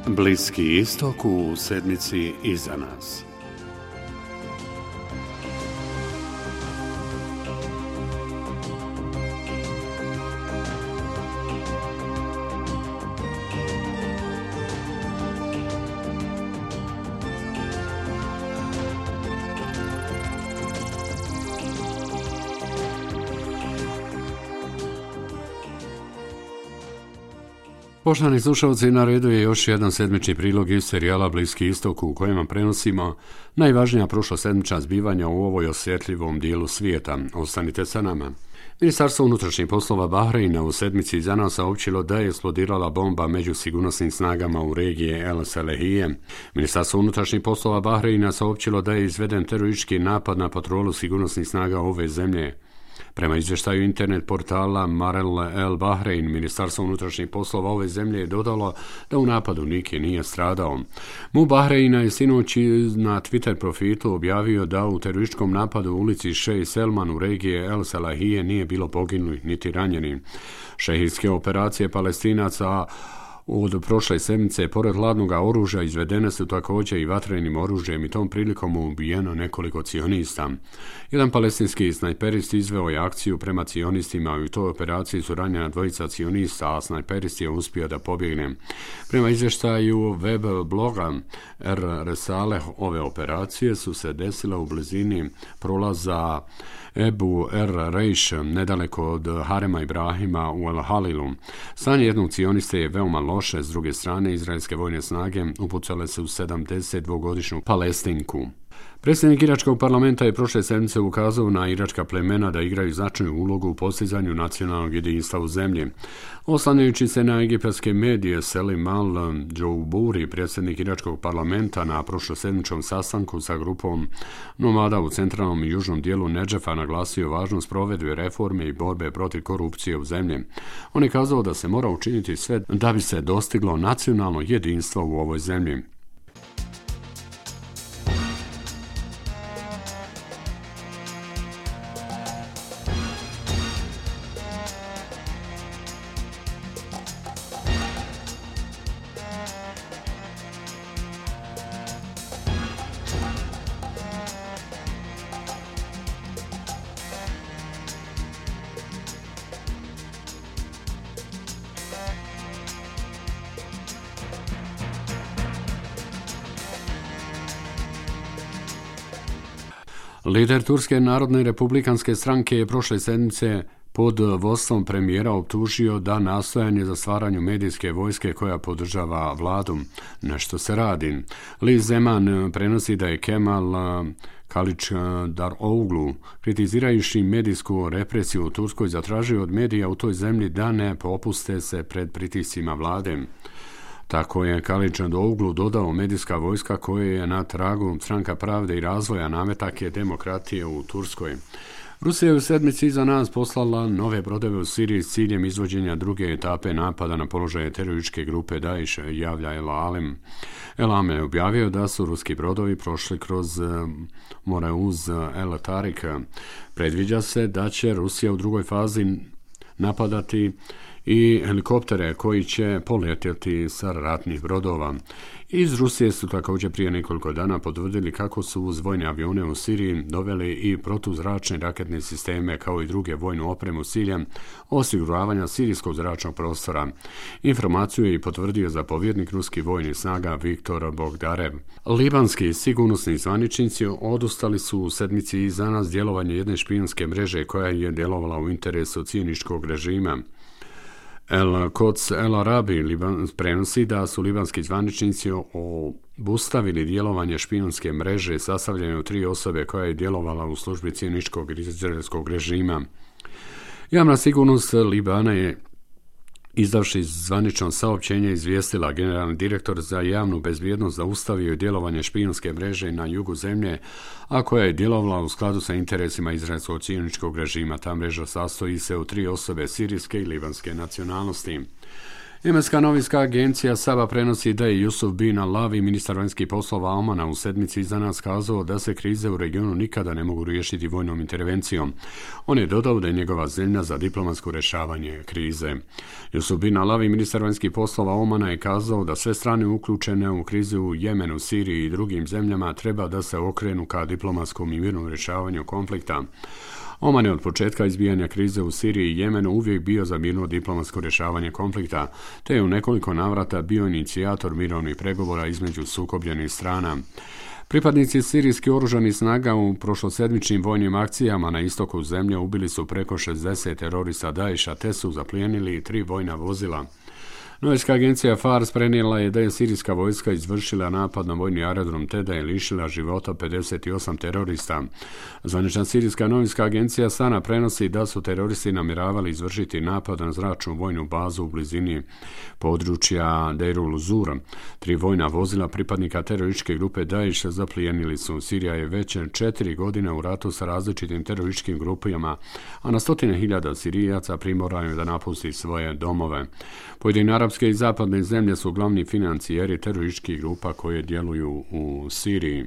Bliski istok u sedmici iza nas. Poštovani slušalci, na redu je još jedan sedmični prilog iz serijala Bliski istok u kojem prenosimo najvažnija prošlosedmična zbivanja u ovoj osjetljivom dijelu svijeta. Ostanite sa nama. Ministarstvo unutrašnjih poslova Bahreina u sedmici iza nas saopćilo da je eksplodirala bomba među sigurnosnim snagama u regiji El Salehije. Ministarstvo unutrašnjih poslova Bahreina saopćilo da je izveden teroristički napad na patrolu sigurnosnih snaga ove zemlje. Prema izvještaju internet portala Marel El Bahrein, Ministarstvo unutrašnjih poslova ove zemlje je dodalo da u napadu niko nije stradao. MUP Bahreina je sinoć na Twitter profilu objavio da u terorističkom napadu u ulici Šej Selman u regiji El Salahije nije bilo poginulih niti ranjenih. Šehijske operacije Palestinaca od prošle sedmice, pored hladnog oružja, izvedene su također i vatrenim oružjem i tom prilikom ubijeno nekoliko cionista. Jedan palestinski snajperist izveo je akciju prema cionistima i u toj operaciji su ranjena dvojica cionista, a snajperist je uspio da pobjegne. Prema izvještaju web bloga Resaleh, ove operacije su se desile u blizini prolaza Ebu Reish, nedaleko od Harema Ibrahima u El Halilu. Stanje jednog cioniste je veoma loše. S druge strane, izraelske vojne snage upucale se u 72-godišnju Palestinku. Predsjednik iračkog parlamenta je prošle sedmice ukazao na iračka plemena da igraju značajnu ulogu u postizanju nacionalnog jedinstva u zemlji. Oslanjajući se na egipatske medije, Selim al-Džouburi, predsjednik iračkog parlamenta, na prošlosedmičnom sastanku sa grupom nomada u centralnom i južnom dijelu Nedžefa naglasio važnost provedbe reforme i borbe protiv korupcije u zemlji. On je kazao da se mora učiniti sve da bi se dostiglo nacionalno jedinstvo u ovoj zemlji. Lider Turske narodne republikanske stranke je prošle sedmice pod vodstvom premijera optužio da nastojanje za stvaranju medijske vojske koja podržava vladu. Nešto se radi. Liz Zeman prenosi da je Kemal Kılıçdaroğlu, kritizirajući medijsku represiju u Turskoj, zatražio od medija u toj zemlji da ne popuste se pred pritiscima vlade. Tako je Kılıçdaroğlu dodao, medijska vojska koja je na tragu Stranka pravde i razvoja nametak je demokratije u Turskoj. Rusija je u sedmici iza nas poslala nove brodove u Siriji s ciljem izvođenja druge etape napada na položaje terorističke grupe Daesh, javlja El Alam. El Alam je objavio da su ruski brodovi prošli kroz more uz El Tariq. Predviđa se da će Rusija u drugoj fazi napadati i helikoptere koji će poletjeti sa ratnih brodova. Iz Rusije su također prije nekoliko dana potvrdili kako su uz vojne avione u Siriji doveli i protuzračne raketne sisteme kao i druge vojnu opremu s ciljem osiguravanja sirijskog zračnog prostora. Informaciju je i potvrdio zapovjednik ruskih vojnih snaga Viktor Bogdarev. Libanski sigurnosni zvaničnici odustali su u sedmici iza nas djelovanje jedne špijunske mreže koja je djelovala u interesu cijeničkog režima. El Quds El Arabi prenosi da su libanski zvaničnici obustavili djelovanje špijunske mreže sastavljene od 3 osobe koja je djelovala u službi cijeničkog izraelskog režima. Javna sigurnost Libana je, izdavši zvanično saopćenje, izvijestila generalni direktor za javnu bezbjednost zaustavio je djelovanje špijunske mreže na jugu zemlje, a koja je djelovala u skladu sa interesima izraelskog cijeničkog režima. Ta mreža sastoji se od 3 osobe sirijske i libanske nacionalnosti. Jemenska novinska agencija Saba prenosi da je Jusuf bin Alavi, ministar vanjskih poslova Omana, u sedmici iza nas kazao da se krize u regionu nikada ne mogu riješiti vojnom intervencijom. On je dodao da je njegova zemlja za diplomatsko rješavanje krize. Jusuf bin Alavi, ministar vanjskih poslova Omana, je kazao da sve strane uključene u krizu u Jemenu, Siriji i drugim zemljama treba da se okrenu ka diplomatskom i mirnom rješavanju konflikta. Oman je od početka izbijanja krize u Siriji i Jemenu uvijek bio za mirno diplomatsko rješavanje konflikta, te je u nekoliko navrata bio inicijator mirovnih pregovora između sukobljenih strana. Pripadnici sirijskih oružanih snaga u prošlosedmičnim vojnim akcijama na istoku zemlje ubili su preko 60 terorista Daesha te su zaplijenili 3 vojna vozila. Novinska agencija Fars prenijela je da je sirijska vojska izvršila napad na vojni aerodrom te da je lišila života 58 terorista. Zvanična sirijska novinska agencija Sana prenosi da su teroristi namjeravali izvršiti napad na zračnu vojnu bazu u blizini područja Deirul Zur. 3 vojna vozila pripadnika terorističke grupe Daesh zaplijenili su. Sirija je već 4 godine u ratu sa različitim terorističkim grupama, a na stotine hiljada Sirijaca primorano je da napusti svoje domove. Pojedine arapske i zapadne zemlje su glavni financijeri terorističkih grupa koje djeluju u Siriji.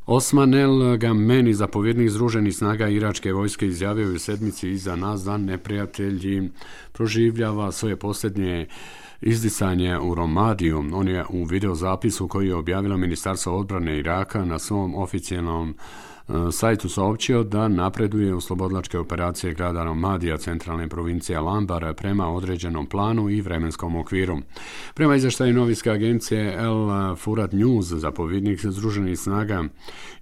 Osman El Gameni, zapovjednik Združenih snaga iračke vojske, izjavio je u sedmici iza nas da neprijatelji proživljava svoje posljednje izdisanje u Romadiju. On je u videozapisu koji je objavilo Ministarstvo odbrane Iraka na svom oficijalnom sajtu saopćio da napreduje u slobodlačke operacije grada Romadija, centralne provincije Al-Anbar, prema određenom planu i vremenskom okviru. Prema izvještaju novinske agencije El Furat News, zapovjednik Združenih snaga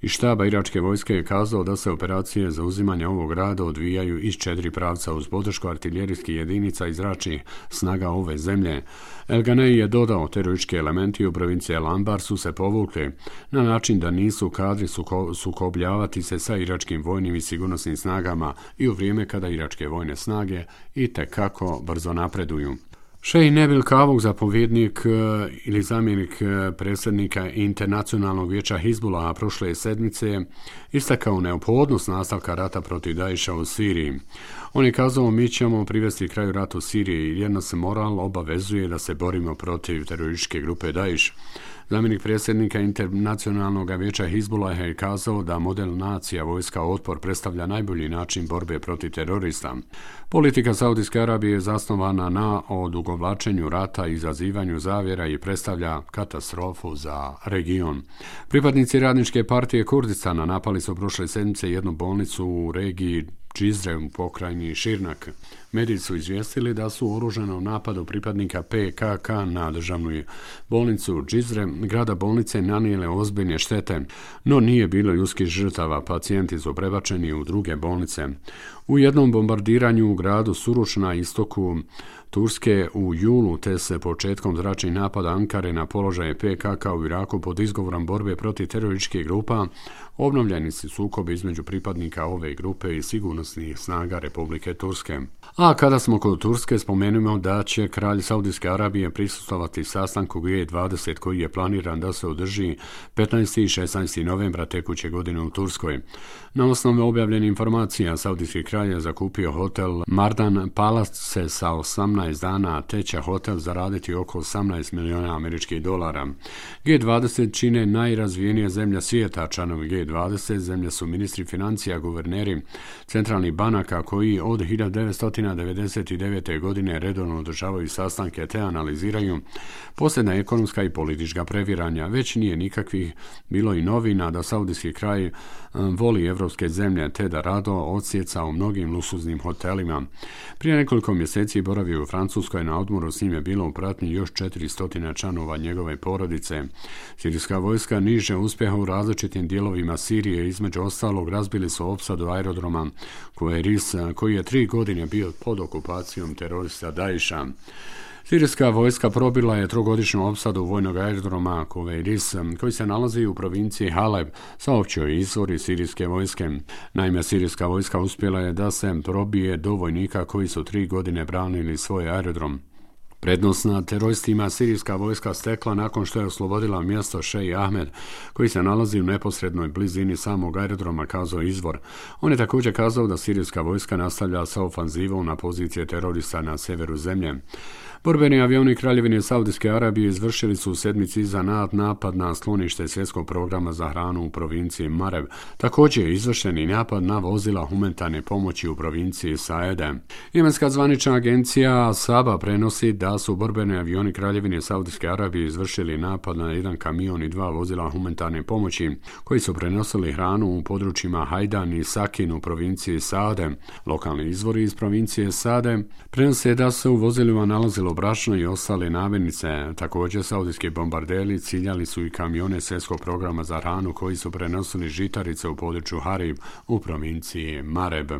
i štaba iračke vojske je kazao da se operacije za uzimanje ovog grada odvijaju iz 4 pravca uz podršku artiljerijskih jedinica i zračnih snaga ove zemlje. El Ganei je dodao, teroristički elementi u provinciji Al-Anbar su se povukli na način da nisu kadri sukobljavati se sa iračkim vojnim i sigurnosnim snagama i u vrijeme kada iračke vojne snage itekako brzo napreduju. Šejh Nebil Kavuk, zapovjednik ili zamjenik predsjednika Internacionalnog vijeća Hizbulaha prošle sedmice, istakao neophodnost nastavka rata protiv Daesha u Siriji. On je kazao, mi ćemo privesti kraju ratu u Siriji jer nas moral obavezuje da se borimo protiv terorističke grupe Daesh. Zamjenik predsjednika Internacionalnog vijeća Hizbulaha je kazao da model nacija vojska otpor predstavlja najbolji način borbe protiv terorista. Politika Saudijske Arabije je zasnovana na odugovlačenju rata i izazivanju zavjera i predstavlja katastrofu za region. Pripadnici Radničke partije Kurdistana napali su prošle sedmice jednu bolnicu u regiji Džizre u pokrajini Širnak. Mediji su izvijestili da su u oružanom napadu pripadnika PKK na državnu bolnicu Džizre grada bolnice nanijele ozbiljne štete, no nije bilo ljudskih žrtava, pacijenti su prebačeni u druge bolnice. U jednom bombardiranju u gradu Suruč na istoku Turske u julu te se početkom zračnih napada Ankare na položaje PKK u Iraku pod izgovorom borbe protiv terorističkih grupa obnovljeni su sukobi između pripadnika ove grupe i sigurnosnih snaga Republike Turske. A kada smo kod Turske, spomenimo da će kralj Saudijske Arabije prisustvovati sastanku G20 koji je planiran da se održi 15. i 16. novembra tekuće godine u Turskoj. Na osnovu objavljenih informacija, saudijski kralj je zakupio hotel Mardan Palace sa 18 dana, te će hotel zaraditi oko 18 milijuna američkih dolara. G20 čine najrazvijenije zemlje svijeta. Članovi G20 zemlje su ministri financija, guverneri centralnih banaka koji od 1999. godine redovno održavaju sastanke te analiziraju posljednja ekonomska i politička previranja. Već nije nikakvih bilo i novina da saudijski kraj voli evropske zemlje te da rado odsjeca u mnogim luksuznim hotelima. Prije nekoliko mjeseci boravio u Francuskoj na odmoru, s njim je bilo u pratnji još 400 članova njegove porodice. Sirijska vojska niže uspjeha u različitim dijelovima Sirije, između ostalog razbili su opsadu aerodroma Kuwairis, koji je 3 godine bio pod okupacijom terorista Daesha. Sirijska vojska probila je 3-godišnju opsadu vojnog aerodroma Kuwairis, koji se nalazi u provinciji Haleb, saopćio je izvor iz sirijske vojske. Naime, sirijska vojska uspjela je da se probije do vojnika koji su 3 godine branili svoj aerodrom. Prednost nad teroristima sirijska vojska stekla nakon što je oslobodila mjesto Šej Ahmed, koji se nalazi u neposrednoj blizini samog aerodroma, kazao izvor. On je također kazao da sirijska vojska nastavlja sa ofanzivom na pozicije terorista na severu zemlje. Borbeni avioni Kraljevine Saudijske Arabije izvršili su u sedmici iza napad na sklonište svjetskog programa za hranu u provinciji Mareb. Također je izvršen i napad na vozila humanitarne pomoći u provinciji Saede. Jemenska zvanična agencija Saba prenosi da su borbeni avioni Kraljevine Saudijske Arabije izvršili napad na jedan kamion i 2 vozila humanitarne pomoći koji su prenosili hranu u područjima Hajdan i Sakin u provinciji Saade. Lokalni izvori iz provincije Saade prenose da se u vozilima nalazilo brašno i ostale namirnice. Također, saudijski bombarderi ciljali su i kamione svjetskog programa za hranu koji su prenosili žitarice u području Harib u provinciji Mareb.